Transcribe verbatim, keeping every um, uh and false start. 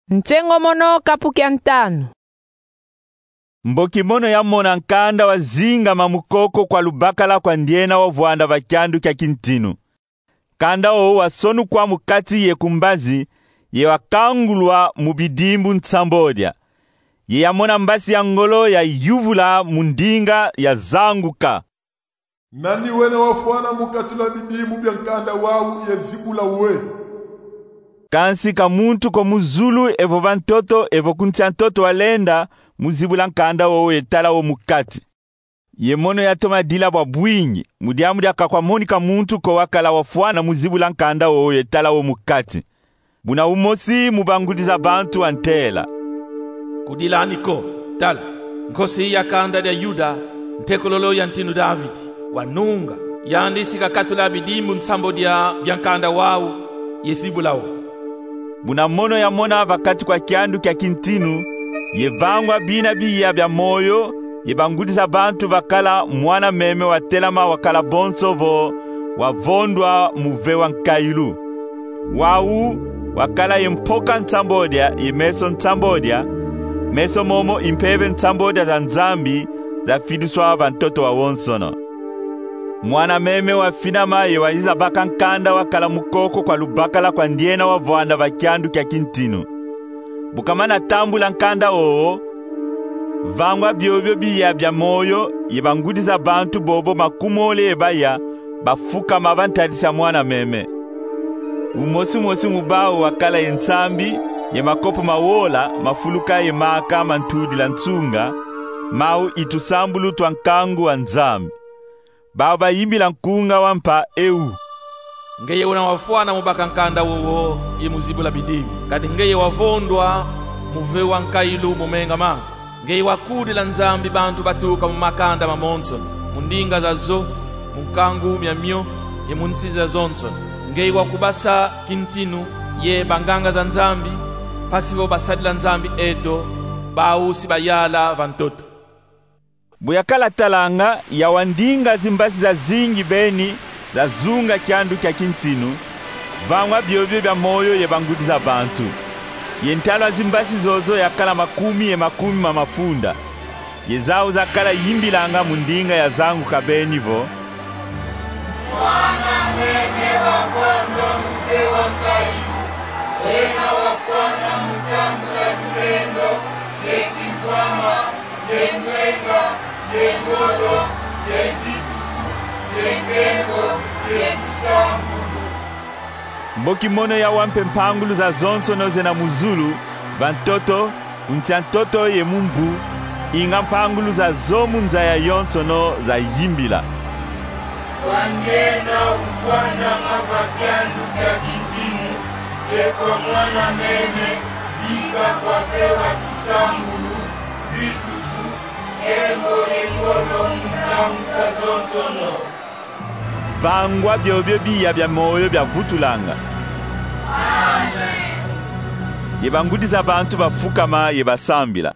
Nsengo mono, kapu kia ntanu. Mboki mono yamona nkanda wazingama mu koko kwa lubakala kwa ndiena wavwanda va kiandu kia kintinu. Nkanda wo wasonukwa mu kati ye ku mbazi, ye wakangulwa mu bidimbu nsambodia. Ye yamona mbasi ya ngolo yayuvula mu ndinga yazanguka: Nani wena wafwana mu katula bidimbu bia nkanda wau ye zibula we? Kansi ka muntu ko mu zulu evo va ntoto evo ku nsi a ntoto walenda mu zibula nkanda wo ye tala wo mu kati. Ye mono yatoma dila bwa bwingi, mu diambu dia ka kwamonika muntu ko wakala wafwana mu zibula nkanda wo ye tala wo mu kati. Buna umosi mu bangudi za bantu wantela: Kudilani ko, tala, Nkosi ya kanda dia Yuda, ntekululu ya ntinu Davidi, wanunga, yandi si kakatula bidimbu nsambodia bia nkanda wau ye zibula wo. Buna mono yamona va kati kwa kiandu kia kintinu, ye vangwa bina biya bia moyo, ye bangudi za bantu vakala mwana meme watelama wakala bonso vo wavondwa muve wa nkayilu. Wau wakala ye mpoka nsambodia ye meso nsambodia, meso momo i mpeve nsambodia za Nzambi zafidiswa va ntoto wawonsono. Mwana meme wafinama ye wayiza baka nkanda wakala mu koko kwa lubakala kwa ndiena wavwanda va kiandu kia kintinu. Bu kamana tambula nkanda wowo, vangwa biobio biya bia moyo ye bangudi za bantu bobo makumole ye baya bafukama va ntadisi a mwana meme. Umosi mosi mu bau wakala ye nsambi ye makopo ma wola mafuluka ye maka ma ntudila nsunga, mau i tusambulu twa nkangu wa Nzambi. Bau bayimbila nkunga wa mpa eu: Ngeye wena wafwana mu baka nkanda wowo ye mu zibula bidimbu, kadi ngeye wavondwa muve wa nkayilu mu menga mandi. Ngeye wakudila Nzambi bantu batuka mu makanda mamonsono, mu ndinga zazo, mu nkangu miamio, ye mu nsi zazonsono. Ngeye wakubasa kintinu ye banganga za Nzambi, mpasi vo basadila Nzambi eto, bau si bayala va ntoto. Bu yakala talanga, yawa ndinga zimbasi zazingi beni zazunga kiandu kia kintinu, vangwa biobio bia moyo ye bangudi za bantu. Ye ntalu a zimbasi zozo yakala makumi ye makumi ma mafunda. Ye zau zakala yimbilanga mu ndinga yazanguka beni vo: Mwana meme wavondwa muve wa nkayilu, wena wafwana mu tambula lulendo ye kimvwama, ye ndwenga, ye ngolo, ye zitusu, ye nkembo, ye tusambulu. Mboki mono yawa mpe mpangulu zazonsono zena mu zulu, va ntoto, ku nsi a ntoto ye mu mvu, inga mpangulu zazo mu nza yayonsono zayimbila: Kwa ndiena uvwananga va kiandu kia kintinu, ye kwa mwana meme, bika kwavewa tusambulu, zitusu, nkembo ye ngolo mu ntangu zazonsono. Vangwa biobio biya bia moyo biavutulanga. Amen. Ye bangudi za bantu bafukama ye basambila.